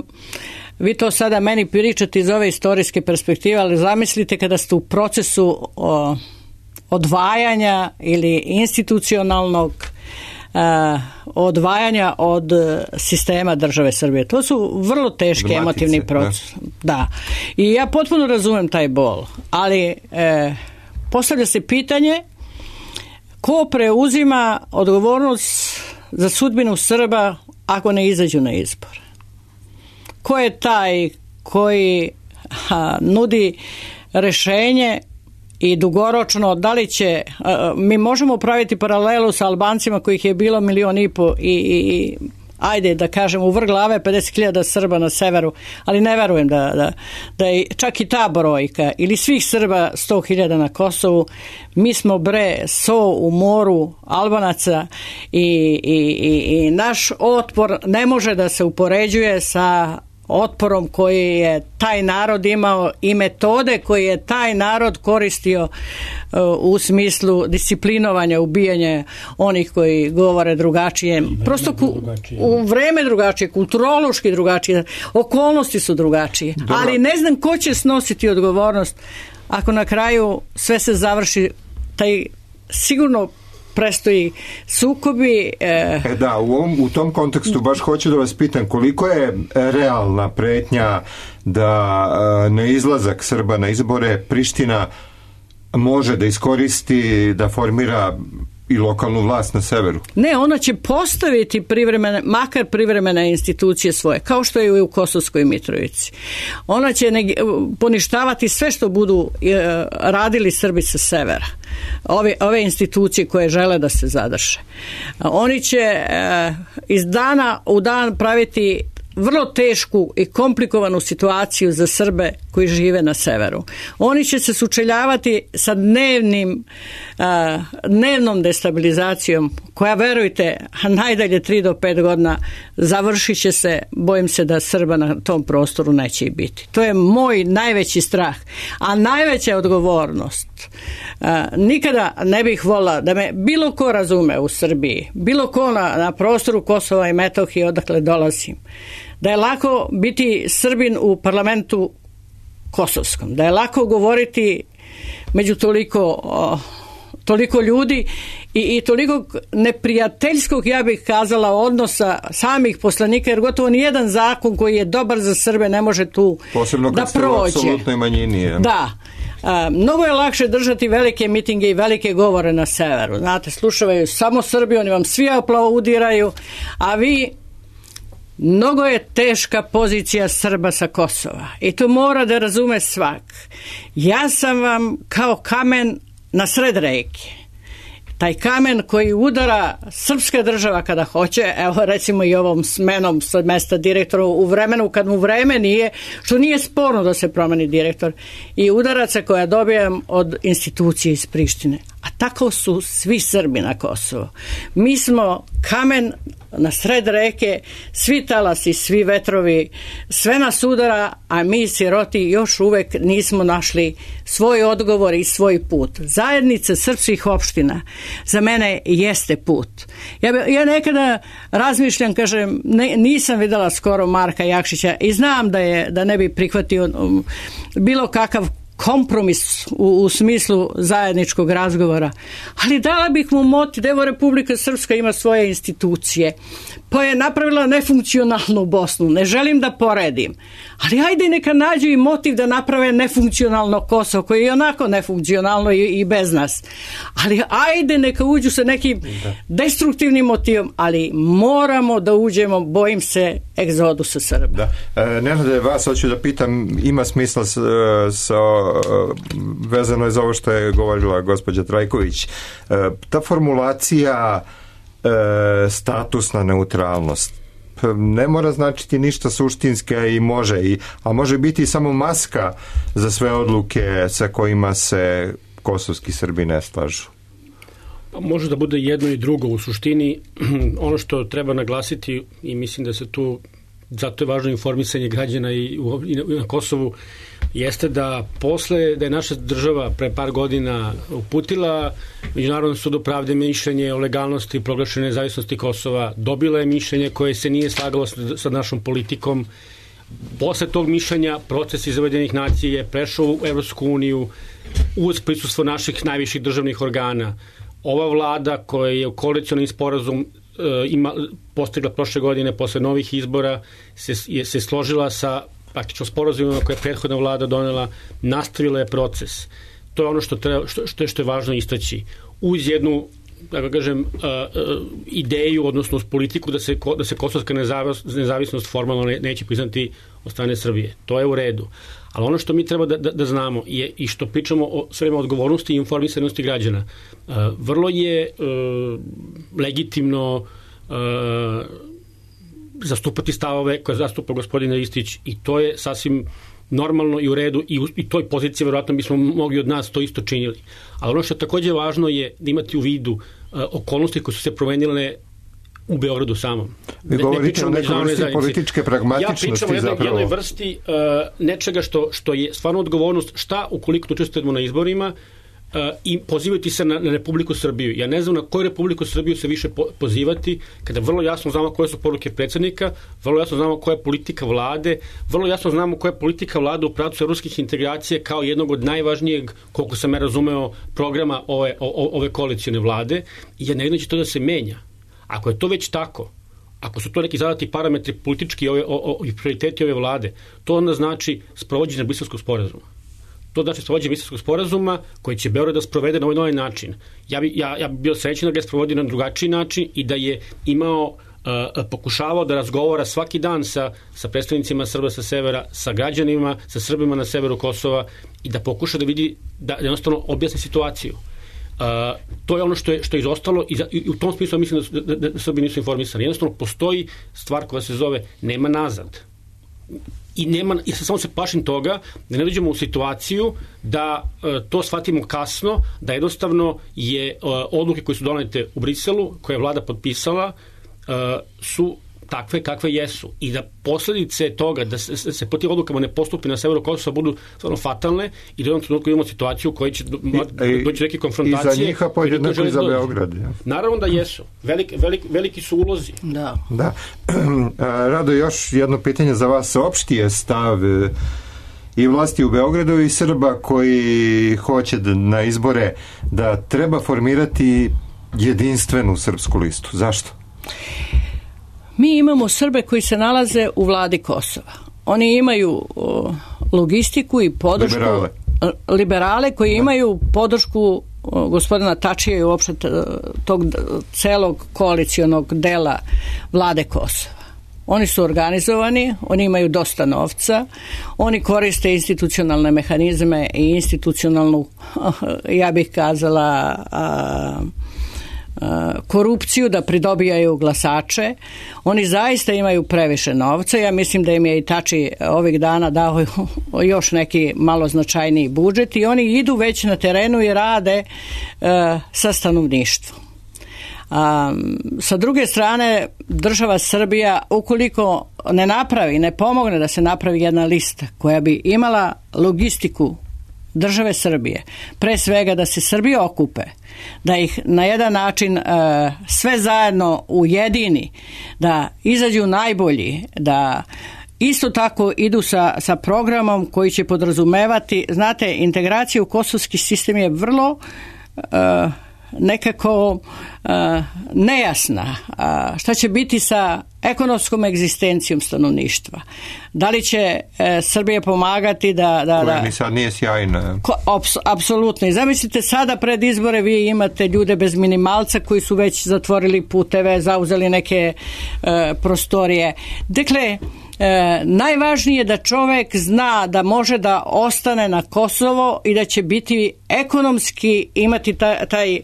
vi to sada meni pričate iz ove istorijske perspektive, ali zamislite kada ste u procesu o, odvajanja ili institucionalnog a, odvajanja od sistema države Srbije. To su vrlo teški Dramatice, emotivni procesi. Da. da. I ja potpuno razumem taj bol, ali e, postavlja se pitanje ko preuzima odgovornost za sudbinu Srba ako ne izađu na izbor? Ko je taj koji a, nudi rešenje i dugoročno, da li će, a, mi možemo praviti paralelu sa Albancima kojih je bilo milion i po i, i, i ajde da kažem u vrh glave pedeset hiljada Srba na severu, ali ne verujem da, da, da je čak i ta brojka ili svih Srba sto hiljada na Kosovu. Mi smo bre so u moru Albanaca i, i, i, i naš otpor ne može da se upoređuje sa otporom koji je taj narod imao i metode koje je taj narod koristio uh, u smislu disciplinovanja, ubijanja onih koji govore drugačije. Prosto ku, u vreme drugačije, kulturološki drugačije, okolnosti su drugačije. Dobro. Ali ne znam ko će snositi odgovornost ako na kraju sve se završi, taj sigurno prestoji sukobi. E... E da, u, ovom, u tom kontekstu baš hoću da vas pitam koliko je realna pretnja da e, neizlazak Srba na izbore Priština može da iskoristi, da formira i lokalnu vlast na severu. Ne, ona će postaviti privremene, makar privremene institucije svoje, kao što je u Kosovskoj Mitrovici. Ona će neg- poništavati sve što budu e, radili Srbi sa severa. Ove, ove institucije koje žele da se zadrže. Oni će e, iz dana u dan praviti vrlo tešku i komplikovanu situaciju za Srbe koji žive na severu. Oni će se sučeljavati sa dnevnim, uh, dnevnom destabilizacijom koja, verujte, najdalje tri do pet godina završit će se, bojim se da Srba na tom prostoru neće i biti. To je moj najveći strah. A najveća odgovornost, uh, nikada ne bih volila da me bilo ko razume u Srbiji, bilo ko na, na prostoru Kosova i Metohije odakle dolazim, da je lako biti Srbin u parlamentu kosovskom, da je lako govoriti među toliko, o, toliko ljudi i, i toliko neprijateljskog, ja bih kazala, odnosa samih poslanika, jer gotovo nijedan zakon koji je dobar za Srbe ne može tu posebno da kad ste prođe. U apsolutnoj manjini. Je. Da. A, mnogo je lakše držati velike mitinge i velike govore na severu. Znate, slušavaju samo Srbi, oni vam svi aplaudiraju, a vi... Mnogo je teška pozicija Srba sa Kosova i to mora da razume svak. Ja sam vam kao kamen na sred reke. Taj kamen koji udara srpska država kada hoće, evo recimo i ovom smenom sa mesta direktora u vremenu kad mu vreme nije, što nije sporno da se promeni direktor, i udaraca koja dobijam od institucije iz Prištine. A tako su svi Srbi na Kosovo. Mi smo kamen na sred reke, svi talasi, svi vetrovi, sve nas udara, a mi siroti još uvek nismo našli svoj odgovor i svoj put. Zajednica srpskih opština za mene jeste put. Ja, ja nekada razmišljam, kažem, ne, nisam videla skoro Marka Jakšića i znam da, je, da ne bi prihvatio um, bilo kakav kompromis u, u smislu zajedničkog razgovora, ali dala bih mu motiv da evo Republika Srpska ima svoje institucije, pa je napravila nefunkcionalnu Bosnu, ne želim da poredim, ali ajde neka nađu i motiv da naprave nefunkcionalno Kosovo, koje je onako nefunkcionalno i, i bez nas, ali ajde neka uđu sa nekim destruktivnim motivom, ali moramo da uđemo, bojim se, egzodusa Srba. Da. E, Nenade, vas hoću da pitam, ima smisla s, s, vezano je za ovo što je govorila gospođa Trajković, e, ta formulacija e, statusna neutralnost ne mora značiti ništa suštinske i može, i, a može biti samo maska za sve odluke sa kojima se kosovski Srbi ne slažu. Pa može da bude jedno i drugo u suštini. Ono što treba naglasiti, i mislim da se tu, zato je važno informisanje građana i, u, i, na, i na Kosovu, jeste da posle da je naša država pre par godina uputila Međunarodnom sudu pravde mišljenje o legalnosti proglašene nezavisnosti Kosova, dobila je mišljenje koje se nije slagalo sa našom politikom. Posle tog mišljenja proces iz Ujedinjenih nacija je prešao u Evropsku uniju uz prisustvo naših najviših državnih organa. Ova vlada koja je koalicionalni sporazum e, ima, postigla prošle godine posle novih izbora se, je, se složila sa praktično sporazumima koje je prethodna vlada donela, nastavila je proces. To je ono što, treba, što, što, je, što je važno istaći. Uz jednu, da kažem, uh, uh, ideju, odnosno uz politiku da se, da se kosovska nezavisnost, nezavisnost formalno ne, neće priznati od strane Srbije. To je u redu. Ali ono što mi treba da, da, da znamo je, i što pričamo o sve vreme odgovornosti i informisanosti građana, uh, vrlo je uh, legitimno uh, zastupati stavove koje zastupa gospodin Ristić, i to je sasvim normalno i u redu, i u i toj poziciji verovatno bismo mogli od nas to isto činili. Ali ono što je takođe važno je da imati u vidu uh, okolnosti koje su se promenile u Beogradu samom. Vi govorite o nekoj vrsti političke pragmatičnosti. Ja pričam o jednoj, zapravo. jednoj vrsti uh, nečega što, što je stvarno odgovornost, šta ukoliko učestvujemo na izborima uh, i pozivati se na, na Republiku Srbiju. Ja ne znam na koju Republiku Srbiju se više po, pozivati, kada vrlo jasno znamo koje su poruke predsjednika, vrlo jasno znamo koja je politika vlade, vrlo jasno znamo koja je politika vlade u pravcu evropskih integracija kao jednog od najvažnijeg, koliko sam ja razumeo, programa ove, o, ove koalicijone vlade, i ja ne vidim da će to da se menja. Ako je to već tako, ako su to neki zadati parametri politički ove, o, o, i prioriteti ove vlade, to onda znači sprovođenje Briselskog sporazuma. to znači sprovođenje Briselskog sporazuma koji će Beograd da sprovede na ovaj novi način. Ja bi, ja, ja bi bio srećan da ga je sprovodio na drugačiji način i da je imao uh, pokušavao da razgovara svaki dan sa, sa predstavnicima Srba sa severa, sa građanima, sa Srbima na severu Kosova i da pokuša da vidi, da jednostavno objasni situaciju. Uh, to je ono što je, što je izostalo i, za, i u tom smislu mislim da, da, da, da Srbi nisu informisani. Jednostavno postoji stvar koja se zove nema nazad. I nema, ja samo se plašim toga da ne dođemo u situaciju da uh, to shvatimo kasno, da jednostavno je uh, odluke koje su donete u Briselu, koje je vlada potpisala, uh, su takve kakve jesu i da posledice toga da se, se po tim odlukama ne postupi na severu Kosova budu stvarno fatalne i da u jednom trenutku imamo situaciju u kojoj će do, I, doći neke konfrontacije. I za njih, a podjednako i za Beograd. Ja. Naravno da jesu. Velik, velik, veliki su ulozi. Da. Da. Rado, još jedno pitanje za vas. Opšti je stav i vlasti u Beogradu i Srba koji hoće da, na izbore da treba formirati jedinstvenu srpsku listu. Zašto? Mi imamo Srbe koji se nalaze u vladi Kosova. Oni imaju o, logistiku i podršku liberale, liberale koji da. imaju podršku o, gospodina Tačija i uopšte tog celog koalicijonog dela vlade Kosova. Oni su organizovani, oni imaju dosta novca, oni koriste institucionalne mehanizme i institucionalnu, ja bih kazala, a, korupciju da pridobijaju glasače. Oni zaista imaju previše novca. Ja mislim da im je i Tači ovih dana dao još neki malo značajniji budžet i oni idu već na terenu i rade uh, sa stanovništvom. A, sa druge strane, država Srbija, ukoliko ne napravi, ne pomogne da se napravi jedna lista koja bi imala logistiku države Srbije, pre svega da se Srbi okupe, da ih na jedan način e, sve zajedno ujedini, da izađu najbolji, da isto tako idu sa, sa programom koji će podrazumevati, znate, integracija u kosovski sistem je vrlo e, nekako uh, nejasna. Uh, šta će biti sa ekonomskom egzistencijom stanovništva? Da li će uh, Srbija pomagati da... da, koja da ni sad nije sjajna. Ko, ops, apsolutno. I zamislite, sada pred izbore vi imate ljude bez minimalca koji su već zatvorili puteve, zauzeli neke uh, prostorije. Dakle, E, najvažnije je da čovek zna da može da ostane na Kosovo i da će biti ekonomski imati taj, taj,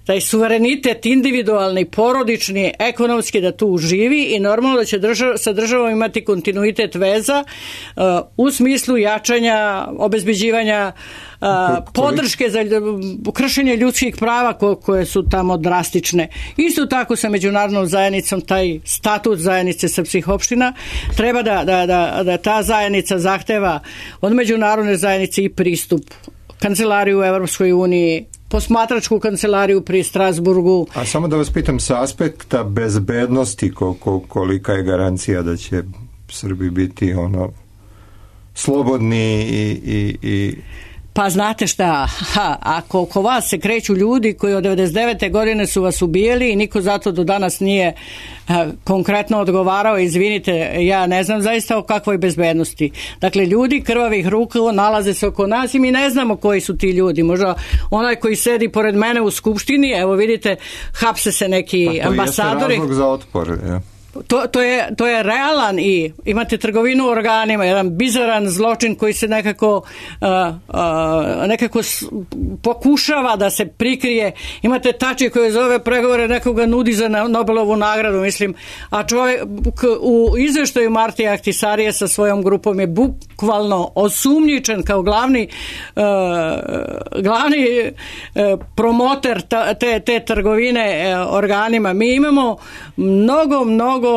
taj suverenitet individualni, porodični, ekonomski da tu živi i normalno da će držav, sa državom imati kontinuitet veza uh, u smislu jačanja, obezbeđivanja uh, podrške za kršenje ljudskih prava ko, koje su tamo drastične. Isto tako sa međunarodnom zajednicom taj statut zajednice srpskih opština treba da, da, da, da ta zajednica zahteva od međunarodne zajednice i pristup kancelariju u Evropskoj uniji, posmatračku kancelariju pri Strasburgu. A samo da vas pitam, sa aspekta bezbednosti ko, ko, kolika je garancija da će Srbi biti ono slobodni i, i, i... Pa znate šta, ha, ako oko vas se kreću ljudi koji od devedeset devete godine su vas ubijeli i niko zato do danas nije ha, konkretno odgovarao, izvinite, ja ne znam zaista o kakvoj bezbednosti. Dakle, ljudi krvavih ruka nalaze se oko nas i mi ne znamo koji su ti ljudi. Možda onaj koji sedi pored mene u skupštini, evo vidite, hapse se neki pa to ambasadori. To jeste razlog za otpor, ja. To, to, je, to je realan i imate trgovinu organima, jedan bizaran zločin koji se nekako uh, uh, nekako s, pokušava da se prikrije. Imate Tači koji zove pregovore, nekoga nudi za Nobelovu nagradu, mislim, a čovjek u izveštaju Martija Ahtisarije sa svojom grupom je bukvalno osumnjičen kao glavni uh, glavni uh, promoter ta, te, te trgovine uh, organima. Mi imamo mnogo, mnogo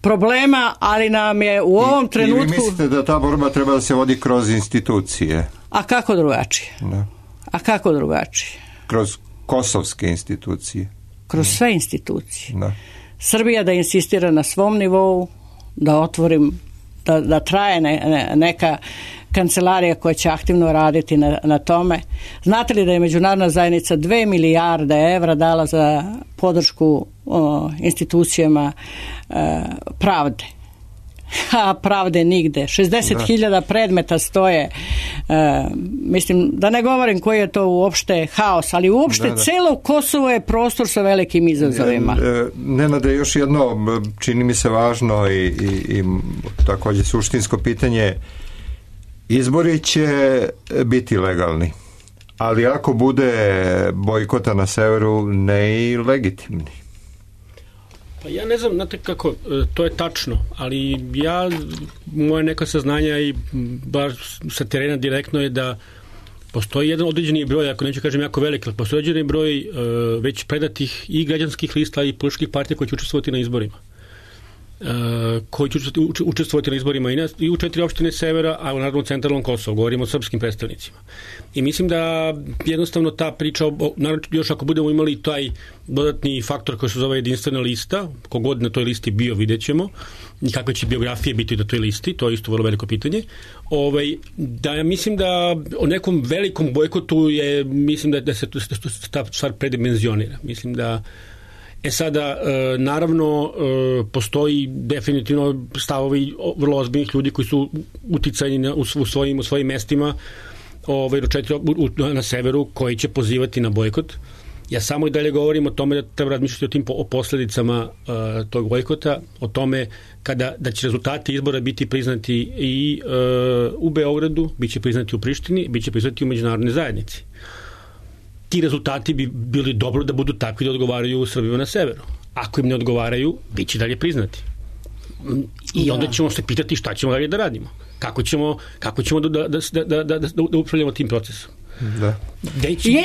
problema, ali nam je u ovom I, trenutku... I vi mislite da ta borba treba da se vodi kroz institucije? A kako drugačije? Da. A kako drugačije? Kroz kosovske institucije? Kroz da. sve institucije. Da. Srbija da insistira na svom nivou, da otvorim, da, da traje ne, ne, neka kancelarija koja će aktivno raditi na, na tome. Znate li da je međunarodna zajednica dve milijarde evra dala za podršku o, institucijama e, pravde? A pravde nigde. šezdeset hiljada predmeta stoje E, mislim, da ne govorim koji je to uopšte haos, ali uopšte da, da. Celo Kosovo je prostor sa velikim izazovima. E, Nenade, još jedno, čini mi se važno i, i, i također suštinsko pitanje, izbori će biti legalni, ali ako bude bojkota na severu, ne i legitimni. Pa ja ne znam, znate kako, to je tačno, ali ja, moje neka saznanja i bar sa terena direktno je da postoji jedan određeni broj, ako neću kažem jako velik, ali postoji određeni broj uh, već predatih i građanskih lista i političkih partija koji će učestvovati na izborima. Uh, koji će učestvovati na izborima i, na, i u četiri opštine severa, a u narodnom centralnom Kosovu, govorimo o srpskim predstavnicima. I mislim da jednostavno ta priča, naravno još ako budemo imali taj dodatni faktor koji se zove jedinstvena lista, kogod na toj listi bio, vidjet ćemo, i kakve će biografije biti na toj listi, to je isto vrlo veliko pitanje. Ovaj, da ja mislim da o nekom velikom bojkotu je, mislim da, da se ta stvar predimenzionira. Mislim da E sada, naravno, postoji definitivno stavovi vrlo ozbiljnih ljudi koji su uticajni u svojim, u svojim mestima ovaj, na severu, koji će pozivati na bojkot. Ja samo i dalje govorim o tome da treba razmišljati o tim o posledicama uh, tog bojkota, o tome kada, da će rezultati izbora biti priznati i uh, u Beogradu, bit će priznati u Prištini, bit će priznati u međunarodnoj zajednici. Ti rezultati bi bili dobro da budu takvi da odgovaraju Srbima na severu. Ako im ne odgovaraju, bit će dalje priznati. I onda ćemo se pitati šta ćemo dalje da radimo. Kako ćemo, kako ćemo da, da, da, da, da, da upravljamo tim procesom. Da. Deći... Je...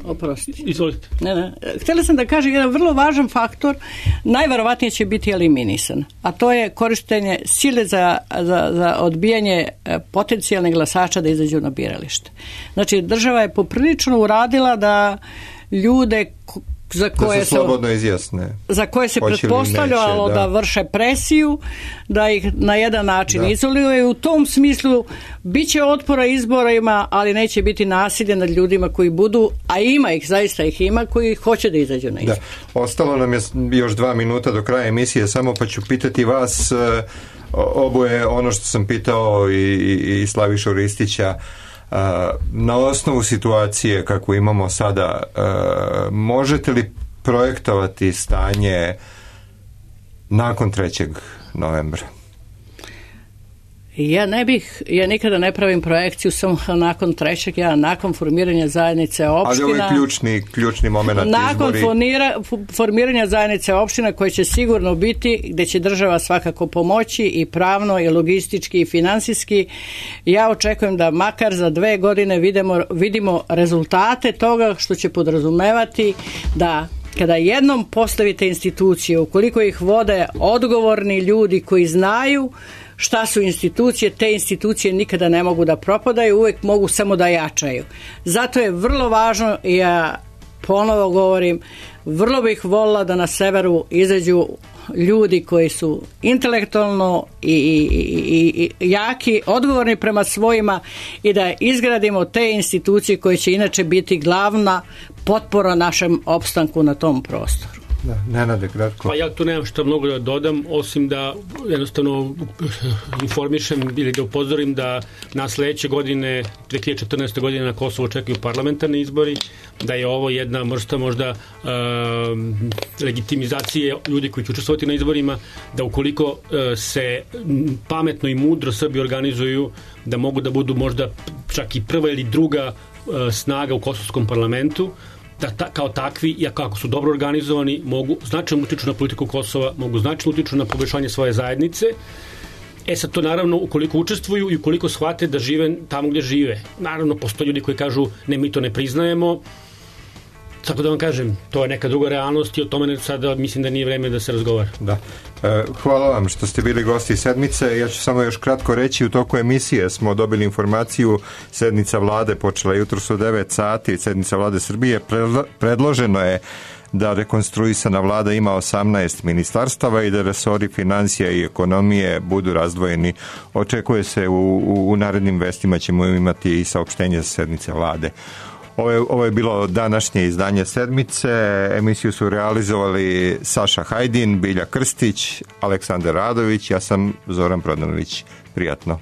Oprosti. Izvolite. Ne, ne. Htjela sam da kažem jedan vrlo važan faktor, najverovatnije će biti eliminisan, a to je korištenje sile za, za, za odbijanje potencijalnih glasača da izađu na biralište. Znači, država je poprilično uradila da ljude za koje da se slobodno izjasne. Za koje se pretpostavljalo da. da vrše presiju, da ih na jedan način da. izoluju i u tom smislu bit će otpora izborima, ali neće biti nasilje nad ljudima koji budu, a ima ih, zaista ih ima, koji hoće da izađu na izbor. Da. Ostalo nam je još dva minuta do kraja emisije, samo pa ću pitati vas oboje ono što sam pitao i, i, i Slavišu Ristića. Na osnovu situacije kako imamo sada, možete li projektovati stanje nakon trećeg novembra? Ja ne bih, ja nikada ne pravim projekciju samo nakon trećeg, ja nakon formiranja zajednice opština. Ali ovo je ključni, ključni moment izbori. Nakon fonira, formiranja zajednice opština koje će sigurno biti, gde će država svakako pomoći i pravno i logistički i finansijski, ja očekujem da makar za dve godine vidimo, vidimo rezultate toga što će podrazumevati da kada jednom postavite institucije, ukoliko ih vode odgovorni ljudi koji znaju šta su institucije, te institucije nikada ne mogu da propadaju, uvek mogu samo da jačaju. Zato je vrlo važno, i ja ponovo govorim, vrlo bih volila da na severu izađu ljudi koji su intelektualno i, i, i, i jaki, odgovorni prema svojima i da izgradimo te institucije koje će inače biti glavna potpora našem opstanku na tom prostoru. Da, Nenade, kratko. Pa ja tu nemam što mnogo da dodam, osim da jednostavno informišem ili da upozorim da na sledeće godine, dve hiljade četrnaeste. godine na Kosovo očekuju parlamentarni izbori, da je ovo jedna vrsta možda uh, legitimizacije ljudi koji će učestvovati na izborima, da ukoliko uh, se pametno i mudro Srbi organizuju, da mogu da budu možda čak i prva ili druga uh, snaga u kosovskom parlamentu, da ta, kao takvi, i ako su dobro organizovani, mogu značajno utiču na politiku Kosova, mogu značajno utiču na poboljšanje svoje zajednice. E sad to naravno ukoliko učestvuju i ukoliko shvate da žive tamo gdje žive. Naravno postoje ljudi koji kažu ne, mi to ne priznajemo. Tako da vam kažem, to je neka druga realnost i o tome sada mislim da nije vreme da se razgovara. Da. Hvala vam što ste bili gosti sedmice. Ja ću samo još kratko reći, u toku emisije smo dobili informaciju, sednica vlade počela jutros u devet sati, sednica vlade Srbije, predloženo je da rekonstruisana vlada ima osamnaest ministarstava i da resori financija i ekonomije budu razdvojeni. Očekuje se u, u, u narednim vestima ćemo imati i saopštenje za sednice vlade. Ovo je, ovo je bilo današnje izdanje sedmice. Emisiju su realizovali Saša Hajdin, Bilja Krstić, Aleksandar Radović, ja sam Zoran Prodanović. Prijatno.